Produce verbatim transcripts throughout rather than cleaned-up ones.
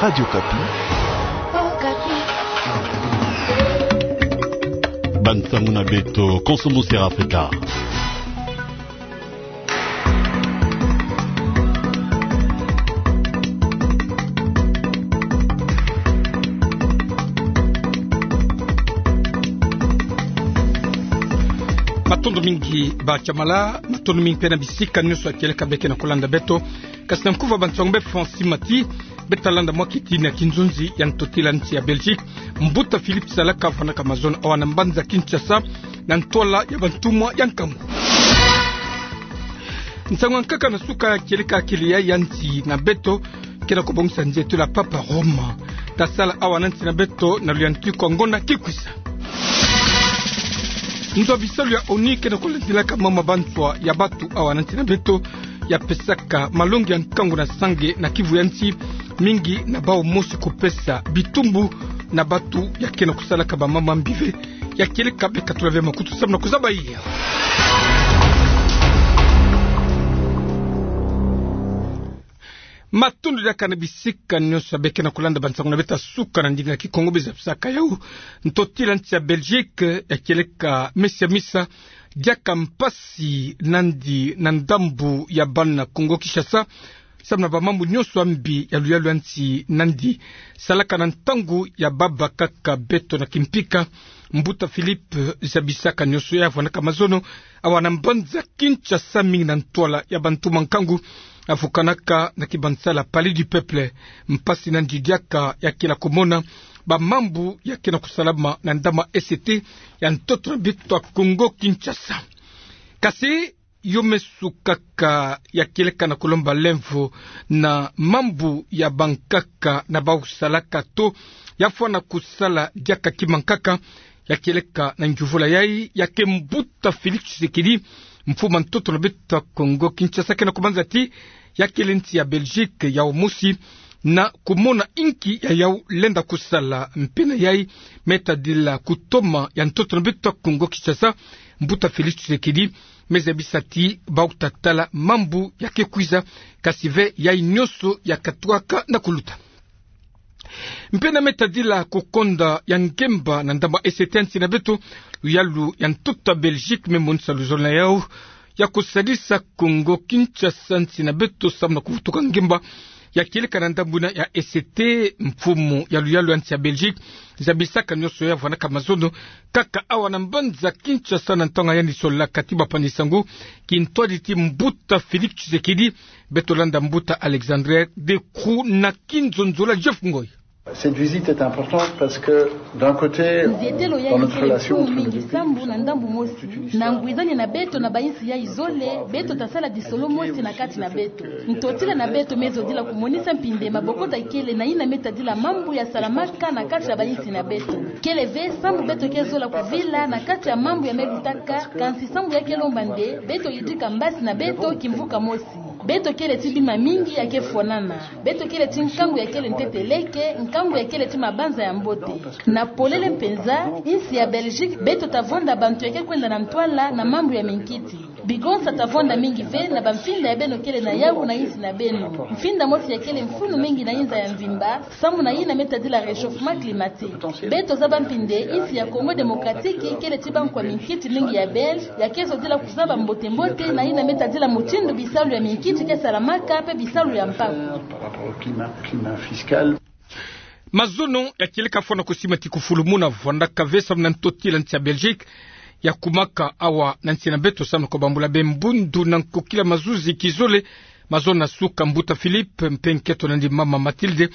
Radio Okapi. Bansango na beto, konso mo sera Afrika. Matondo mingi ba Chamala, matondo mingi mpe na bisika nyonso ya kieleka beke na kolanda beto. Kasi na nkufa bansango befo, nsi mati beta landa mwa kitini ya kinzonzi ya ntotila nsi ya Belgique. Mbuta Philippe Salaka afwanaka mazono awa na mbanza Kinshasa, na ntwala ya bantumwa ya nkangu. Nsango ya nkaka na suka ya kieleka kele ya nsi na beto, ke na kobongisa nzietolo ya Papa Roma. Tasala awa na nsi na beto na luyantiku ya ngonda ki kwisa. Nzo ya bisalu ya ONU ke na kolandilaka mama banswa ya batu awa na nsi na beto, ya pesaka malongi ya nkangu na sange na kivu ya nsi, mingi na bau mosi kopesa bitumbu na batu ya ke na kosalaka bamama mbi ve. Ya kieleka beka tula ve makutu samu na kozaba iya. Matondo diaka na bisika nyonso ya beke na kolanda bansango na beto ya suka na ndinga ya Kikongo. Beno zabisaka yawu, ntotila nsi ya Belgique ya kieleka mesi ya misa diaka mpasi nandi na ndambu ya bana Kongo Kinshasa, samu na bamambu nyonso ya mbi ya luyalu ya nsi nandi salaka na ntangu ya babakaka beto na kimpika. Mbuta Philippe zabisaka nyonso ya afwanaka mazono awa na mbanza Kinshasa, mingi na ntwala ya bantumwa nkangu, afukanaka na kibansala Palais du Peuple. Mpasi nandi diaka ya ke na komona bamambu ya ke na kosalama na ndama E C T ya ntoto na beto ya Kongo Kinshasa. Kasi yo meso kaka ya kieleka na kolomba lemvo na mambu ya bankaka na bau salaka to ya fwana kosala diaka kima nkaka. Ya kieleka na ngiuvula yayi ya ke mbuta Félix Tshisekedi, mfumu a ntoto na beto ya Kongo Kinshasa, ke na kobanza ti ya kele nsi ya Belgique yau mosi na komona inki ya yau lenda kosala. Mpe na yayi me tadila kutoma ya ntoto na beto ya Kongo Kinshasa, mbuta Félix Tshisekedi me zabisa ti bau tatala mambu ya ke kwiza, kasi ve yayi nyonso ya katwaka na kuluta. Mpe na me tadila kokonda ya ngemba na ndambu E C T ya nsi na beto, luyalu ya ntoto ya Belgique me monisa luzolo na yau ya kosalisa Kongo Kinshasa, nsi na beto, samu na kuvutuka ngemba ya kieleka na ndambu ina ya E C T. Mfumu ya luyalu ya nsi ya Belgique zabisaka nyonso ya vwanaka mazono kaka awa na mbanza Kinshasa na ntangu ya yandi solaka ti bapangi-nsangu, kintwadi ti mbuta Félix Tshisekedi. Beto landa mbuta Alexandre Decroux na kinzonzolo ya Jeff Ngoy. Cette visite est importante parce que, d'un côté, nzietelo yayi kele mfunu mingi, sambu na ndambu mosi, na ngwizani na beto na bainsi yayi zole, beto tasala lisolo mosi na kati na beto. Ntotila na beto me zodila komonisa mpinde mabokoto ikele na ina me tadila mambu ya salamaka na kati ya bainsi na beto. Kele ve sambu beto ke zola kuvila na kati ya mambu ya me lutaka, kansi sambu ya ke lomba nde beto yidika mbasi na beto kimvuka mosi. Beto kele ti bima mingi ya ke fwanana. Beto kele ti nkangu ya kele ntete leke, nkangu ya kele ti mabanza ya mbote. Na polele mpenza, insi ya Belgique, beto tavonda bantu ya ke kwenda na ntwala na mambu ya minkiti. Bigonsa tavonda mingi ve na bamfinda ya beno kele na yau na insi na beno. Mfinda mosi ya kele mfunu mingi na inza ya mvimba, sambu na ina me tadila réchauffement climatique. Beto zaba mpinde insi ya Congo Démocratique kele ti bankwa minkiti mingi ya Belge, ya ke zodila kuzaba mbote-mbote na ina me tadila mutindu bisalu ya minkiti ke salamaka mpe bisalu ya mpaku. Par rapport au climat, climat fiscal. Mazono ya kieleka fwana kosima ti kufulumuna vwandaka ve samu na ntotila nsi ya Belgique ya kumaka awa na nsi na beto samu na kobambula be mbundu na nkokila mazuzi kizole. Mazono na suka, mbuta Philippe mpe nkento na yandi mama Mathilde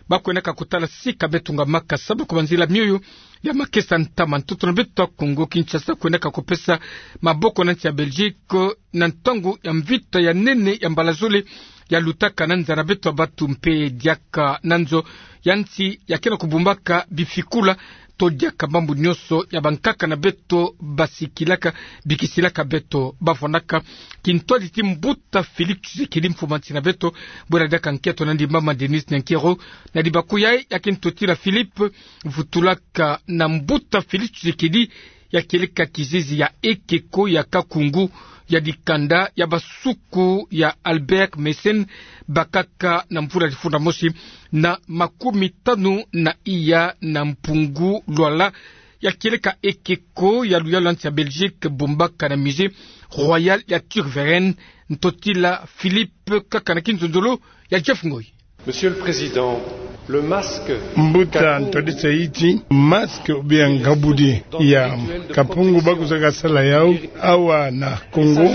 bakwendaka kotala sika beto ngamaka samu na kobanzila mioyo ya makesa ntama ntoto na beto ya Congo Kinshasa kwendaka kopesa maboko na nsi ya Belgique na ntangu ya mvita ya nene ya mbala zole ya lutaka na nza na beto ya batu mpe diaka na nzo ya nsi ya ke na kobumbaka bifikula to diaka mambu nyonso ya bankaka na beto basikilaka, bikisilaka beto bavwandaka. Kintwadi ti mbuta Félix Tshisekedi, mfumu a nsi na beto, bwela diaka nkento na yandi mama Denise Nyankero, na dibaku yayi ya kintotila Philippe, vutulaka na mbuta Félix Tshisekedi ya kieleka kizizi ya ekeko ya kakungu ya dikanda ya basuku ya Albert Messine, bakaka na mvula difunda mosi na makumi tanu na iya na mpungu lwala ya kieleka ekeko ya luyalu ya nsi ya Belgique, bombaka na musée royal ya Tervuren. Ntotila Philippe, kaka na kinzonzolo ya Jeff Ngoy. Monsieur le Président, le masque... Mbuta ntodisa ti masque ou bien ngabudi ya kapungu bakwizaka sala yau awa na Congo,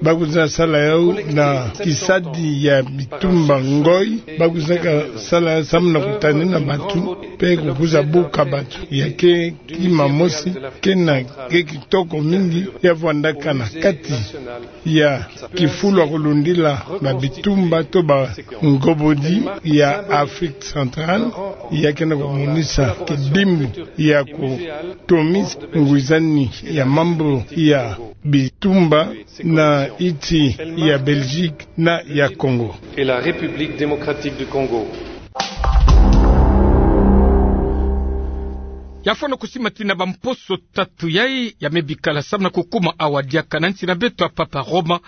bakwizaka sala yau na kisadi ya bitumba ngoi, bakwizaka sala yau samu na kutanina bantu, mpe kukwiza buka bantu. Ya ke kima mosi kena ke kitoko mingi, ya vwandaka na kati ya kifulu ya kulundila babitumba to bangobodi ya Afrique centrale, ya kena kumonisa kidimbu ya kutomisa ngwizani ya mambu ya bitumba na nsi ya Belgique na ya Congo. Et la République démocratique du Congo. Ya fwana kusimatina bamposo tatu yai ya me bikala samu na kukuma awa diaka na nsi na beto ya Papa Roma,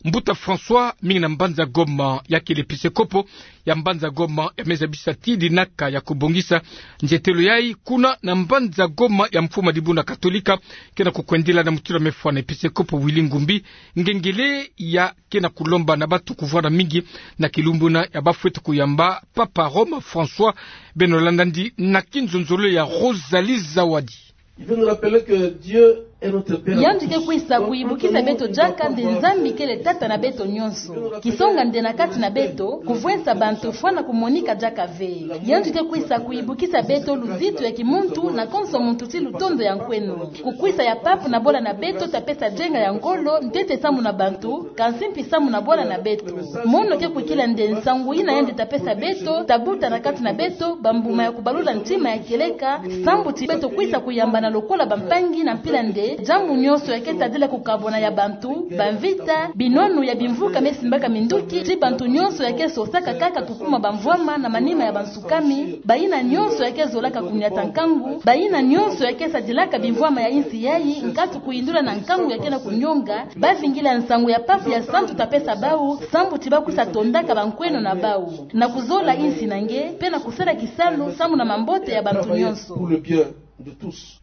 Mbuta François, mingi na mbanza Goma, ya kele episekopo ya mbanza Goma, ya me zabisa ti dinaka ya kubongisa nzietelo yai kuna na mbanza Goma ya mfuma dibundu katolika, kena kukwendila na mutindu ya me fwana episekopo Willy Ngumbi, ngengele ya kena kulomba na bantu kuvwanda mingi na kilumbu yina ya bafweti kuyamba Papa Roma François. Beno landa yandi na kinzonzolo ya Rosalie Zawadi. Il veut nous rappeler que Dieu est notre Père. Yandi ke kwisa kuyibukisa beto diaka nde Nzambi kele Tata na beto nyonso. Kisonga nde na kati na beto, kuvwensa bantu fwana kumonika diaka ve. Yandi ke kwisa kuyibukisa beto luzitu ya kimuntu na konso muntu ti lutondo ya nkweno. Kukwisa ya Pape na bwala na beto ta pesa dienga ya ngolo ntete samu na bantu, kansi mpi samu na bwala na beto. Mono ke kwikila nde nsangu yina yandi ta pesa beto, ta buta na kati na beto bambuma ya kubalula ntima ya kieleka, sambu ti beto kwisa kuyambana lokola bampangi na mpila nde diambu nyonso ya ke tadila kukabwana ya bantu, bamvita, binwanu ya bimvuka me simbaka minduki, ti bantu nyonso ya ke sosaka kaka kukuma bamvwama na manima ya bansukami, bayina nyonso ya ke zolaka kunyata nkangu, bayina nyonso ya ke sadilaka bimvwama ya insi yai, nkatu kuyindula na nkangu ya kena kunyonga, bavingila nsangu ya Pape ya santu ta pesa bau, sambu ti bakwisa tondaka bankweno na bau, na kuzola insi na nge, mpe na kusala kisalu samu na mambote ya bantu nyonso. Pour le bien de tous.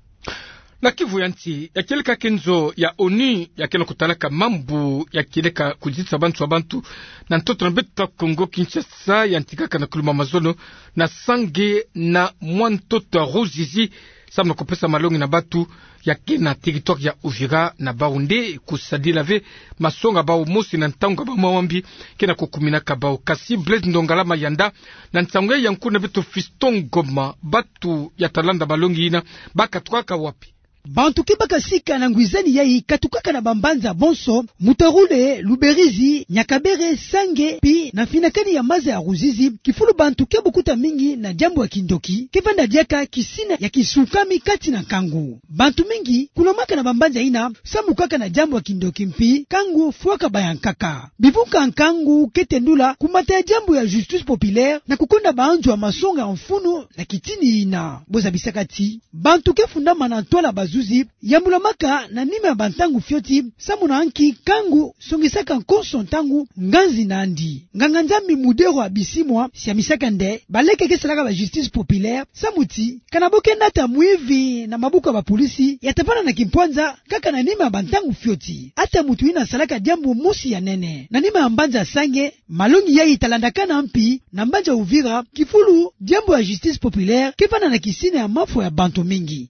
Na Kivu ya nsi, ya kieleka kenzo ya onu ya kena kutalaka mambu ya kieleka kuzitisa bantu ya bantu na ntoto na beto Kongo Kinshasa, yantikaka na kuluma mazono na Sange na mwa ntoto ya Ruzizi, samu na kupesa malongi na bantu ya ke na territoire ya Uvira, na bau nde kusadila ve masonga bau mosi na ntangu ya bamwambi kena kukuminaka bau. Kasi Blaise Ndongala Mayanda, na nsangu ya nkuna beto Fiston Ngoma, bantu ya ta landa malongi yina bakatukaka wapi? Bantu ke baka sika na ngwizani yai katukaka na bambanza bonso, Mutarule, Luberizi, Nyakabere, Sange, mpi na mfinakani ya maza ya Ruzizi, kifulu bantu ke bukuta mingi na diambu ya kindoki ke vanda diaka kisina ya kisukami kati na nkangu. Bantu mingi kunwamaka na bambanza yina samu kaka na diambu ya kindoki mpi nkangu fwaka bayankaka. Bivunka nkangu ke tendula kumata ya diambu ya justice populaire na kukonda banzo ya masonga ya mfunu na kitini yina. Bo zabisaka ti bantu ke fundama na ntwala bazuzi yambulamaka na nima ya bantangu fioti, samu na nki nkangu songisaka konso ntangu nganzi na yandi. Nganga-Nzambi Muderwa Bisimwa siamisaka nde baleke ke salaka ba justice populaire, samu ti kana bo ke nata mwivi na mabuku ya bapolisi, ya ta vanda na kimpwanza kaka na nima ya bantangu fioti. Ata muntu yina asalaka diambu mosi ya nene na nima ya mbanza Sange, malongi yai ta landakana mpi na mbanza Uvira, kifulu diambu ya justice populaire ke vanda na kisina ya mafwa ya bantu mingi.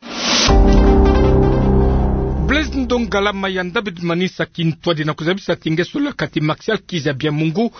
Blaise Ndongala Mayanda, beto manisa kintwadi na kuzabisa ti nge solaka ti Martial Kizabia Mungu,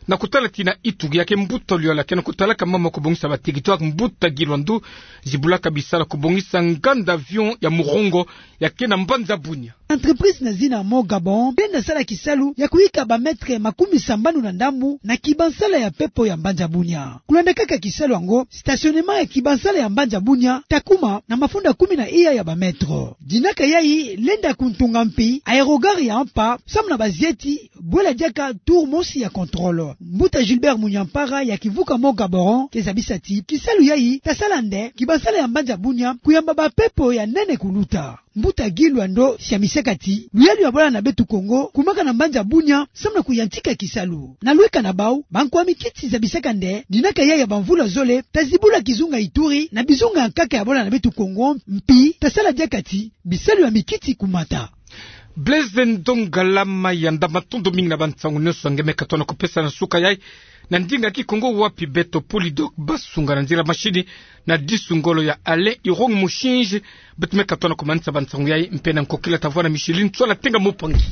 na kutala ti na Ituri ya ke mbuta luyala kena kutalaka mambu ya kubongisa ba territoire, mbuta Gilwandu, zibulaka bisalu ya kubongisa nganda avion ya murongo ya ke na mbanza Bunia. Entreprise na zina Mont Gabon lenda sala kisalu ya kuyika ba mètre makumi sambanu na ndambu na kibansala ya pepo ya mbanza Bunia. Kulanda kaka kisalu yango, stationnement ya kibansala ya mbanza Bunia ta kuma na mafunda kumi na iya ya ba mètre. Dinaka yai lenda kuntunga mpi aérogare ya mpa, samu na bazieti bwela diaka tour mosi ya contrôle. Mbuta Gilbert Munyampara ya kivuka Mont Gaborone ke zabisa ti kisalu yai ta sala nde kibansala ya mbanza Bunia kuyamba ba pepo ya nene kuluta. mbuta Guy Loando Siamisakati, luyalu ya bolana beto Kongo kumaka na mbanza bunia samu na kuyantika kisalu. Na lweka na bau, bankwa mikiti za bisakande, dinaka ya ya bamvula zole, ta zibula kizunga Ituri na bizunga nkaka ya bolana beto Kongo, mpi ta sala diaka ti bisalu ya mikiti kumata. Blaise Ndongalama Yanda, matondo mingi na bansangu nyonso nge me katono kupesa na suka yai na ndinga Kikongo, wapi beto Polydok basunga na nzila mashini na disu ngolo ya Alain Irong Mushinji. Beto me katono kumanisa bansangu yai mpe na nkokila ta vwa na Micheline Tswala Tenga Mupangi.